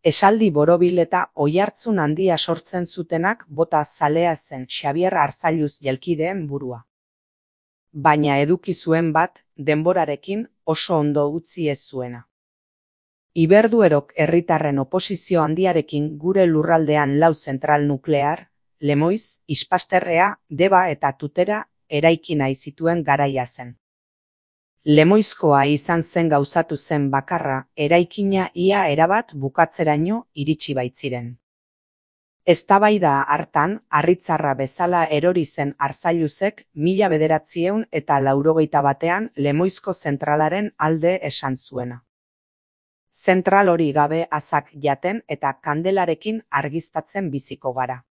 Esaldi borobil eta oihartzun handia sortzen zutenak bota zalea zen Xabier Arzalluz jelkideen burua. Baina eduki zuen bat, denborarekin oso ondo utzi ez zuena. Iberduerok herritarren oposizio handiarekin gure lurraldean lau zentral nuklear, Lemoiz, Ispasterrea, Deba eta Tutera eraiki nahi zituen garaia zen. Lemoizkoa izan zen gauzatu zen bakarra, eraikina ia erabat bukatzeraino iritsi baitziren. Eztabaida hartan, harritzarra bezala erori zen Arzalluzek 1981 Lemoizko zentralaren alde esan zuena. Zentral hori gabe azak jaten eta kandelarekin argiztatzen biziko gara.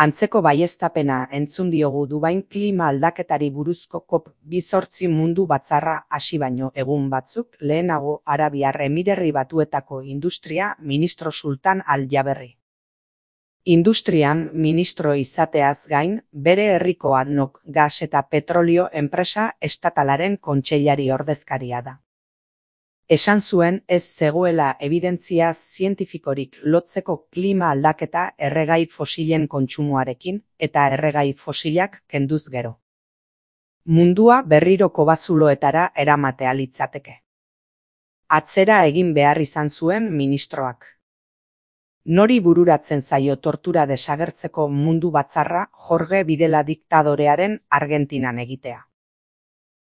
Antzeko baieztapena entzun diogu Dubain klima aldaketari buruzko COP28 mundu batzarra hasi baino egun batzuk lehenago Arabiar Emirerri Batuetako Industria Ministro Sultan Al-Jaberri. Industrian ministro izateaz gain, bere herriko ADNOC gas eta petrolio enpresa estatalaren kontseilari ordezkaria da. Esan zuen ez zegoela ebidentzia zientifikorik lotzeko klima aldaketa erregai fosilen kontsumoarekin eta erregai fosilak kenduz gero. Mundua berriro kobazuloetara eramatea litzateke. Atzera egin behar izan zuen ministroak. Nori bururatzen zaio tortura desagertzeko mundu batzarra Jorge Videla diktadorearen Argentinan egitea.